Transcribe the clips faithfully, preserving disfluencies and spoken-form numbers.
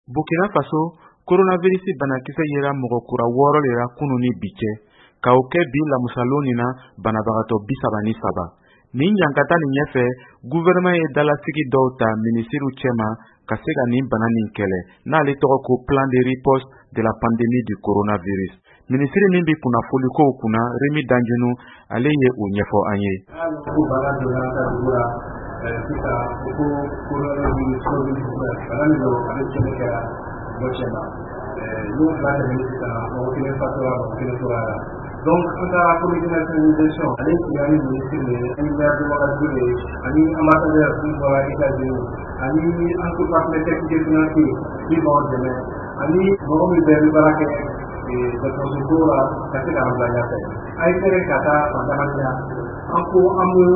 Burkina Faso, coronavirus banakisɛ yera mɔgɔ kura wɔɔrɔ le ra kunu ni bi cɛ, ka o kɛ bi lamusalon nin na banabagatɔ bi saba ni saba. Nin ɲankata nin ɲɛfɛ, gouvernement ye dalasigi dɔw ta minisiriw cɛma ka se ka nin bana nin kɛlɛ, n'ale tɔgɔ ko plan de riposte de la pandémie du coronavirus. Minisiri min bɛ kunnafolikow kunna, Remi Danjunu, ale ye o ɲɛfɔ an ye. Ko bana donna an ka dugu la sisan, ko coronavirus, covid dix-neuf, bana min don, a bɛ tiɲɛni kɛra mɔgɔ cɛ ma. N'o fila tɛmɛnen sisan, mɔgɔ kelen fatura, mɔgɔ kelen tora la. Donc an ka comité national de gestion, ale sigira ni ministre de ye, ani maire de Ouagadougou de ye, ani ambassadeur min bɔra États-Unis, ani an ko partenaire technique et financier min b'anw dɛmɛ, ani mɔgɔ min bɛɛ bɛ baara kɛ dɔgɔtɔrɔso ko la ka se k'an bila ɲɛfɛ. A ye fɛɛrɛ ka taa fan caman na. An ko an bɛ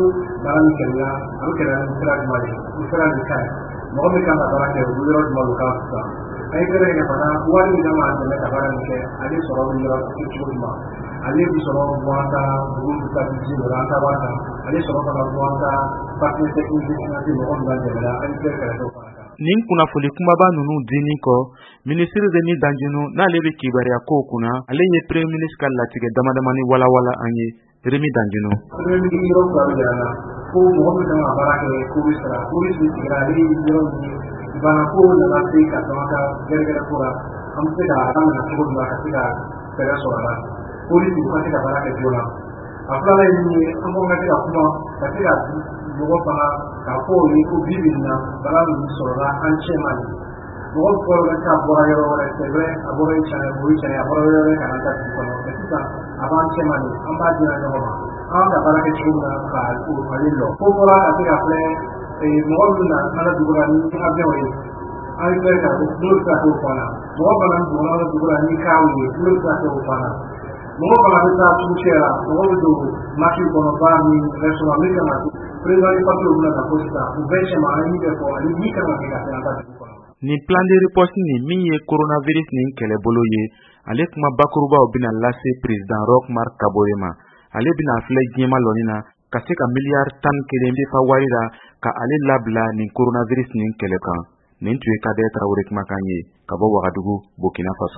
baara min kɛlɛ la, a bɛ kɛlɛ ni sira jumɛn ye? O sira nin ka ɲi. Mɔgɔ min kan ka baara kɛ, o bɛ yɔrɔ jumɛn, o kan sisan. A ye fɛɛrɛ kɛ fana, wari min kan k'an dɛmɛ ka baara nin kɛ, ale sɔrɔ bɛ yɔrɔ cogo jumɛn? Ale bɛ sɔrɔ bɔ an ka dugu bɛ taa budget dɔ la, an ta wari kan. Ale sɔrɔ fana bɔ an ka partenaire technique et financier, mɔgɔ min b'an dɛmɛ la, an ye fɛɛrɛ kɛrɛfɛ fana kan. Nin kunnafoli kumaba ninnu dinin kɔ, minisiri Remi Danjunu, n'ale bɛ kibaruya kow kunna, ale ye premier ministre ka latigɛ damadamani walawala an ye. Remi Danjunu. Premier ministre yɔrɔ fila bɛ yira n na ko mɔgɔ min kan ka baara kɛ, ko bɛ sara ko bɛ sigira, ale ye yɔrɔ min ye, bana ko nana se ka dɔn an ka gɛrɛgɛrɛ ko la, an bɛ se ka daminɛ cogo min na ka se ka fɛɛrɛ sɔrɔ a la, polisi u ka se ka baara kɛ joona. A filanan ye min ye, an ko ka se ka kuma ka se ka mɔgɔ fana k'a fɔ o ye ko bi bi in na, bana min sɔrɔla an cɛ ma nin, mɔgɔ fɔlɔ ka bɔra yɔrɔ wɛrɛ, c'est vrai, a bɔra yen tiɲɛ, o ye tiɲɛ, a bɔra yɔrɔ wɛrɛ ka na an ka dugu kɔnɔ, mais sisan a b'an cɛ ma nin, an b'a dira ɲɔgɔn ma, an ka baara kɛ cogo min na ka o ale lɔ ko fɔra ka se ka filɛ mɔgɔ min na an ka dugu la ni avion ye, an ye fɛn ka n'o bɛ se ka k'o fana, mɔgɔ fana donna an ka dugu la ni car ye, n'o bɛ se ka k'o fana, mɔgɔ fana bɛ taa sugu fiyɛ la, mɔgɔ bɛ don marché kɔnɔ, bar ni restaurant min kan ka président ni papier bɛna na fɔ sisan, u bɛɛ cɛma an ye min bɛ fɔ ani min kan ka kɛ ka se an ka dugu kɔnɔ. Nin plan de riposte nin min ye coronavirus nin kɛlɛbolo ye, ale kuma bakurubaw bɛna lase président Roch Marc Kabore ma. Ale bɛna filɛ diɲɛma lɔnni na ka se ka miliyari tan kelen C F A wari la ka ale labila nin coronavirus nin kɛlɛ kan. Nin tun ye Kadɛ Tarawele kumakan ye ka bɔ Wagadugu, Burkina Faso.